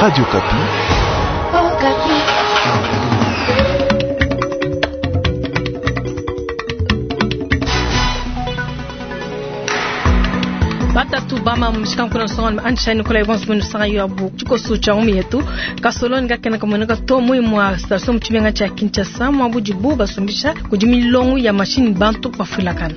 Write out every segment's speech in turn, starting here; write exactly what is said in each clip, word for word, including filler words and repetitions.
Radio Okapi. Oh, Batatu bama mshikankuna songa anshani kula ibonso munu sanga yo abu chikoso cha umi yetu kasoloni ngakena kamoneka to mui mwa station mchibenga cha Kinshasa mwa bujibu basumbisha kujimilongo ya mashini bantu bafulakana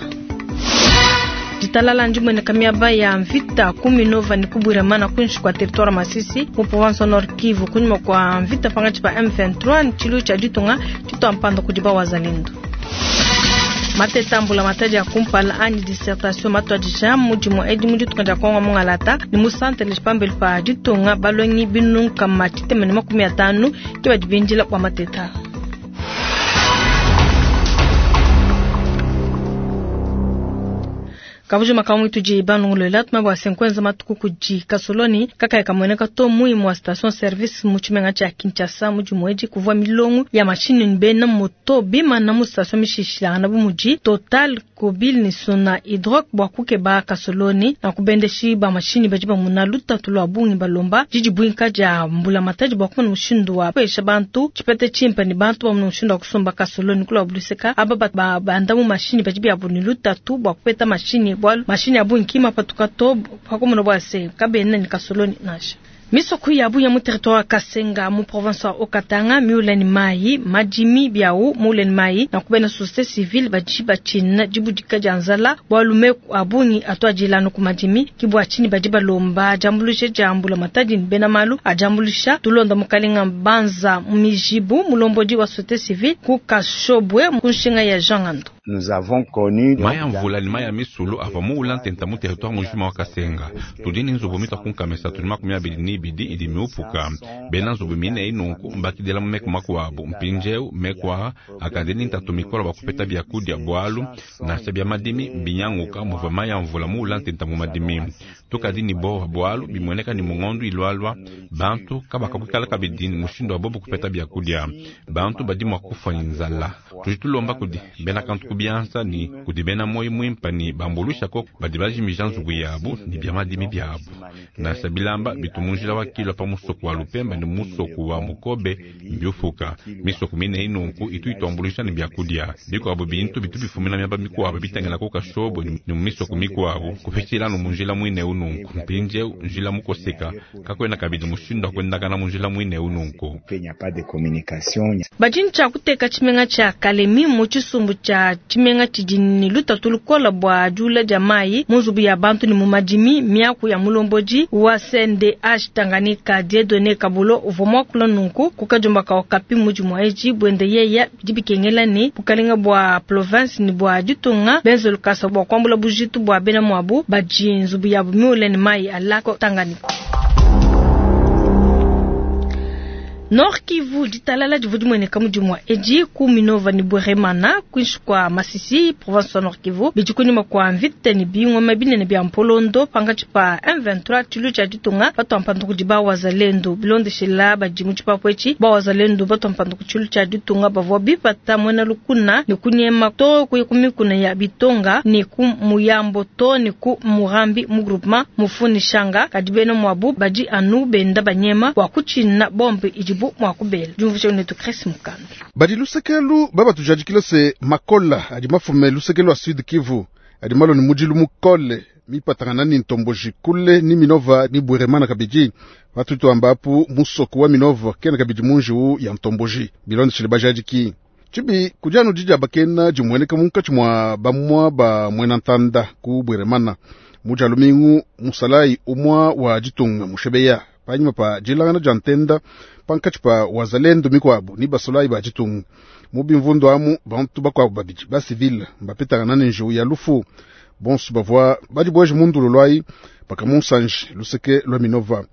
ditalala ndimwene kamiaba ya mvita kumi nova ni kuburamana kunshi kwa territoire Masisi mu province Nord Kivu kunyuma kwa mvita pangachi pa M vingt-trois nchilu cha ditunga tito kudiba wazalendo matetambula mataji ya kumpala ani dissertation matwadisha mudimu edi mu ditunga dia kongo mungalata ni musante lishipambeli pa ditunga balongi binunka matitemene makumi atanu ke badi bindila kwa mateta. Kabuji makamu ituji banungulela tuma bwa senkwenza matuku kuji kasoloni kaka yakamweneka to muimu wa station service muchimenga cha Kinshasa muji mweji kuvua milongo ya mashini nbena moto bima na mu station mishishilana bu muji Total Kobil ni sona hydroc bwa kukeba kasoloni na kubendeshi ba mashini baji bamuna lutatu lwa bungi balomba jiji bwinka ja mbula mataji bwa kumuna mushindu wa pesha bantu chipete chimpa ni bantu bamuna mushindu wa kusomba kasoloni kula buluseka aba ba banda mu mashini baji bya lutatu bwa kupeta mashini bwalu mashini abu nkima patuka to pakomono bwa se kabene ni kasoloni nasha misoko ya bu ya mu territoire Kasenga mu province wa Okatanga miuleni mai majimi biau muleni mai na kubena société civile baji bachina jibudika janzala bwalume abungi atwajilano ku majimi kibwa chini baji balomba jambulushe jambula mataji bena malu ajambulusha tulonda mukalinga banza mijibu mulomboji wa société civile ku Kashobwe kunshinga ya Jean Ngando. Nous avons connu maya mvula ni maya misulu ava muula ntenta mu territoire mujima wa Kasenga tudini nzubu mita kunkamesa tuli makumi abili ni ibidi idi miupuka bena nzubu mine inunku mbakidela mu meku makuabu mpinjeu mekwaha akandini ntatu mikolo bakupeta byakudia bwalu nasha bya madimi mbinyanguka muva maya mvula muula ntenta mu madimi tukadini bowa bwalu bimweneka ni mungondu ilwalwa bantu kabakakwikala kabidini mushindu wa bobu kupeta byakudia bantu badi mwa kufa ni nzala tujitulomba kudi bena kantu kubianza ni kudi bena moyi mwimpa ni bambulusha ko badi bajimija nzubu yabu ni bya madimi byabu nasha bilamba bitumunjila wa kilwa pa musoko wa lupemba ni musoko wa mukobe mbyufuka misoko mine inunku itu ituambulusha ni byakudia bikuabu bintu bitu bifumina myaba mikuabu bitengela ko kashobo ni mu misoko mikuabu kupitshila munjila mwine ununku mpinje njila mukoseka kakwena kabidi mushindu akwendakana munjila mwine ununku bajincha kuteka chimenga cha Kalemi mu chisumbu cha chimenga chijini lutatu lukola bwa jula jamai munzubu ya bantu ni mumadimi miaku ya mulomboji wa C N D H Tanganyika Dieudonné Kabulo uvomwa kula nunku kukajumba ka okapi muji mwaeji bwende yeya dibikengela ni bukalinga bwa province ni bwa ditunga benzo lukasa bwa kwambula bujitu bwa bena mwabu baji nzubu ya miule ni mai alako Tanganyika. Nord Kivu ditalala divu dimweneka mudimwa eji ku Minova ni Bweremana kwinshi kwa Masisi province wa Nord Kivu bijikunyuma kwa mvita ni bingoma binene bya mpolondo pangachi pa M vingt-trois chilu cha ditunga batu mpandu kudiba wazalendo bilondeshela badi chipapo echi ba wazalendo batu mpandu kuchilu cha ditunga bavwa bipata mwena lukuna ni kunyema to kuyikumikuna ya bitonga ni ku muyambo to ni ku murambi mu groupement mufuni shanga kadibeno mwabu badi anu benda banyema wa kuchina bombe ijibu mwakubela jumvusha unetu Chris Mukando badi lusekelu baba tujadikile se makola adi mafume lusekelu wa Sud Kivu adi malo ni mujilu mukole mipatangana ni ntomboji kule ni Minova ni Bweremana kabidi watutu ambapu musoko wa Minova kena kabidi munjiu ya ntomboji bilonde chile bajadiki chibi kujanu jija bakena jimweneka munkachi mwa bamwa ba mwena ntanda ku Bweremana muja lumingu musalai umwa wa jitunga mushebeya panyuma pa jilangana jantenda pankachi pa wazalendo mikwabu ni basolai ba jitunga mubi mvundu amu bantu bakwabu babidi ba civil mbapetangana ni njiu ya lufu bonsu bavwa badi bweje mundu lolwai paka munsanji luseke lwa Minova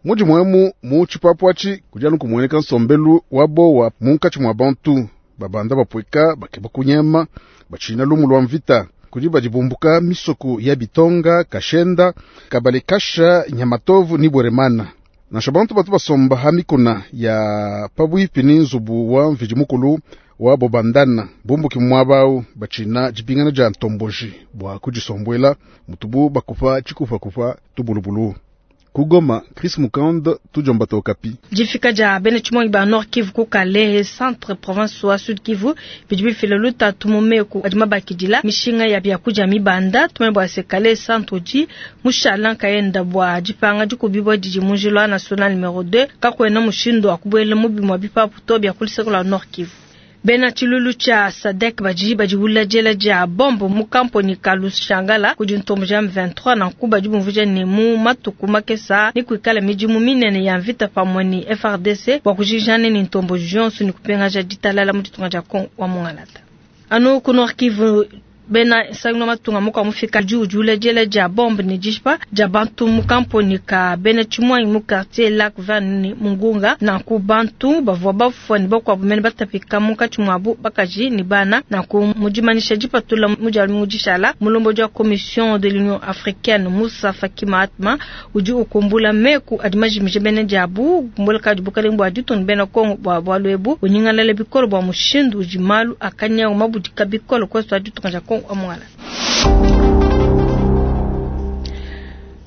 muji mwemu mu chipapu achi kujanu kumweneka nsombelu wabo wa munkachi mwa bantu babanda bapweka bakeba kunyema bachina lumu lwa mvita kudi bumbuka misoko ya bitonga kashenda kabalekasha nyamatovu ni Bweremana nasha bantu batu basomba hamikuna ya pabwipi ni nzubu wa mvijimukulu wa bobandana bumbuki mwabau bachina jipingana ja ntomboji bwa kujisombwela mutubu bakupa chikufa kupa tubulubulu Ku Goma, Chris Mukand, tudiomba tua Okapi. Difika dia bena tshimuangi ba Nord Kivu ku Kalehe centre province wa Sud Kivu bidi bifila lutatu mu meku adi mabakidila mishinga ya biakudia mibanda. Tumanye bua se Kalehe centre udi mushala nkayenda bua dipanga dikubibua didi mu njila national numero deux, kakuena mushindu wa kubuela mu bimue bipapu to bia ku luseke lua Nord Kivu. Bena tshilulu tshia SADC badi badiwula diela dia bombe mu kamponi ka Lushangala kudi ntomboji ya M vingt-trois nanku badi bumvuija ne mu matuku makesa ne kuikala midimu minene ya mvita pamue ne F R D C bua kujijana ne ntomboji yonso ne kupingaja ditalala mu ditunga dia Congo wa Mungalata. Anu ku Nord Kivu bena sangno matunga muka mufika udi udiwula diela dia bombe ne dishipa dia bantu mu kamponi ka bena tshimuangi mu quartier Lac Vert ne Mungunga nanku bantu bavua bafua ne bakuabu mene batapika munkatshi muabu bakaji ne bana. Nanku mu dimanyisha dipatula mu dia lumingu dishala mulombodi wa commission de l'Union africaine Moussa Faki Mahatma udi ukumbula meku adi majimije bena diabu ukumbula kadi bukalenga bua ditunga bena Congo bua bualu ebu unyingalala bikole bua mushindu udi malu akanyawu mabudika bikole kwesu ditunga dia Congo amwala.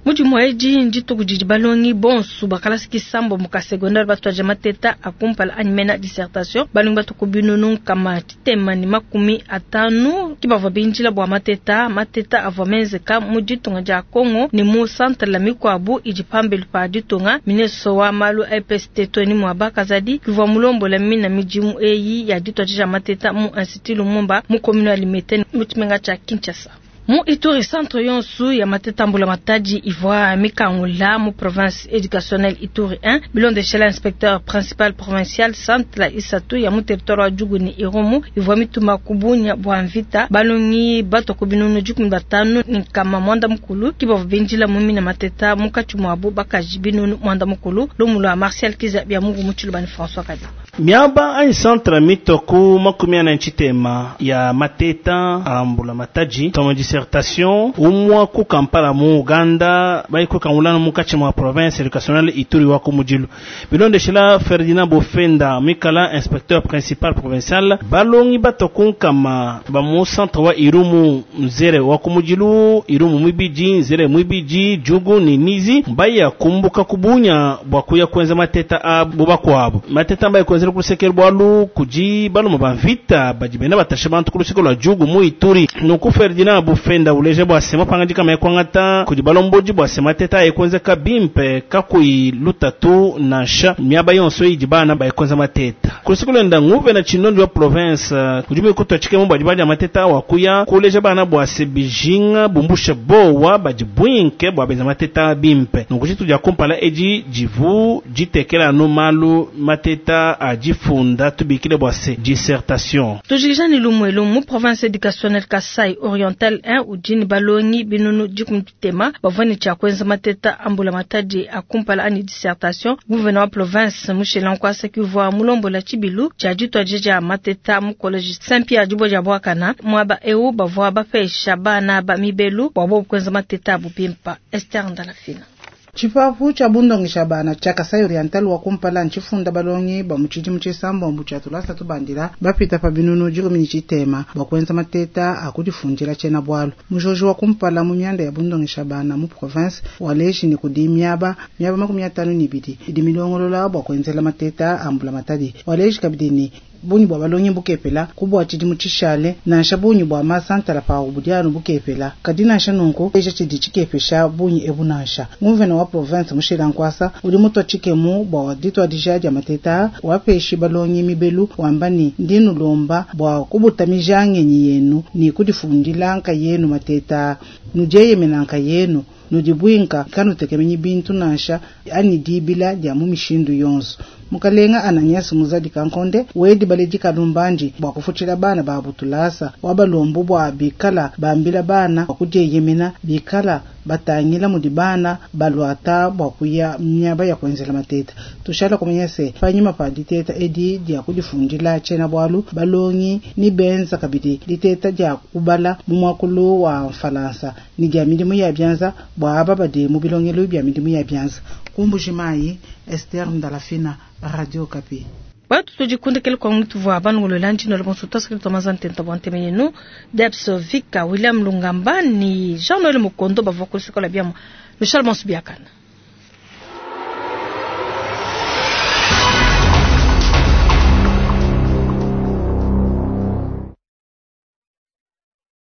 Mudimu edi ndituku didi balongi bonso bakalasi kisambo mu secondaire batwaja mateta akumpala animena dissertation balongi batuku binunu kama titema ni makumi atanu kibavua binjila bua mateta mateta avua menzeka mu ditunga dia Congo ni mu centre la mikwabu idi pambelu pa ditunga. Ministre wa malu A P S T Tony Mwaba Kazadi kivua mulombola mina midimu eyi ya ditwaja mateta mu Institut Lumumba mu commune ya Limete mu tshimenga tshia Kinshasa. Mu Ituri centre yonsu ya mateta mbula matadi ivua mikangula mu province éducationnelle Ituri un bilondeshela inspecteur principal provincial centre la isatu ya mu territoire wa Djugu ni Irumu ivua mituma kubunya bua mvita balongi batoko binunu dikumi batanu ni nkama mwanda mukulu kibavua benjila mu mina mateta munkatshi muabu bakaji binunu mwanda mukulu lumu lua Martial Kiza bia mungu mu Tshiluba ni François Kadi. Miaba ai centre mitoku makumi ana nchitema ya mateta ambula mataji tomo dissertation umwa ku Kampala mu Uganda bai ku Kaulana mu kachi mwa province éducationnelle Ituri wa kumujilu bilondeshela Ferdinand Bofenda mikala inspecteur principal provincial balongi batoku kama ba mu centre wa Irumu nzere wa kumujilu Irumu mwibiji nzere mwibiji Djugu ni Nizi baya kumbuka kubunya bwa kuya kwenza mateta a bubakwabo mateta mbaye kwenza kusekera bwalu kuji baluma bamvita bajibena batasha bantu kulusiko lwa Djugu mu Ituri nuku Ferdinand Bofenda uleje bwa sema pangaji kama yakwangata kuji balomboji bwa sema teta ekwenza kabimpe kakui lutatu nansha miaba yonso idibana bayekwenza mateta kulusiko lwenda nguve na chinondo wa province kuji kutwa chikemo bwa mateta wakuya kuleje bana bwa sebijinga bumbusha bowa bajibwinke bwa benza mateta bimpe nuku chitu ja kumpala eji jivu jitekela no malu mateta ajifunda tubikile bwa se dissertation tujikija ni lumwelu mu province éducationnelle Kasai Oriental un ujini balongi binunu dikumtema bavwani cha kwenza mateta ambula matadi akumpala ani dissertation gouverneur wa province Mushela Nkwasa kivwa mulombola chibilu cha jitwa jija mateta mu college Saint Pierre dibo ja bwakana mwaba eu bavwa bapesha bana ba mibelu bwabo kwenza mateta bupimpa Esther Ndalafina. Chipapu cha bundongisha bana cha Kasai Oriental wa kumpala nchifunda balongi ba muchiji muchisambo mbucha tulasa tubandila bapita pa binunu jikumi chitema bakwenza mateta akudifundila chena bwalo mujojo wa kumpala mu myanda ya bundongisha bana mu province waleshi ni kudimyaba myaba makumi atano ni bidi idi milongolola bwakwenzela mateta ambula matadi waleshi kabidini bunyi bwa balongi bukepela kubwa chidi muchishale nansha bunyi bwa masantala pa ubudyano bukepela kadi nansha nunku eja chidi chikepesha bunyi ebu nansha nguvena wa province Mushela Nkwasa uli mutwa chikemu bwa ditwa dijaja mateta wapeshi balongi mibelu wambani ndinu lomba bwa kubutamija ngenyi yenu ni kudifundila nka yenu mateta nujeye menanka yenu nudibwinka kanutekemenyi bintu nansha ani dibila dia mu mishindu yonso mukalenga Ananias muzadi kankonde wedi baledi kalumbanji bwa kufuchila bana ba butulasa wabalombu bwa bikala bambila bana bakudiyemena bikala batangila mudi bana balwata bwa kuya myaba ya kwenzela mateta tushala kumenya se panyima pa diteta edi dia kudifundila chena bwalu balongi ni benza kabidi diteta dia kubala mu mwakulu wa mfalansa ni dia milimu ya byanza bwa aba badi mu bilongelo bya milimu ya byanza kumbujimayi Esther Ndalafina, Radio Okapi. Watu tujikundikele kwa mtu vwa bangulo lanji no bonso tasiki tomazante ntabante menu Debs Vika William Lungamba ni Jean-Noël Mukondo bavwa kulisikola biamo Michel Bonsubiakana.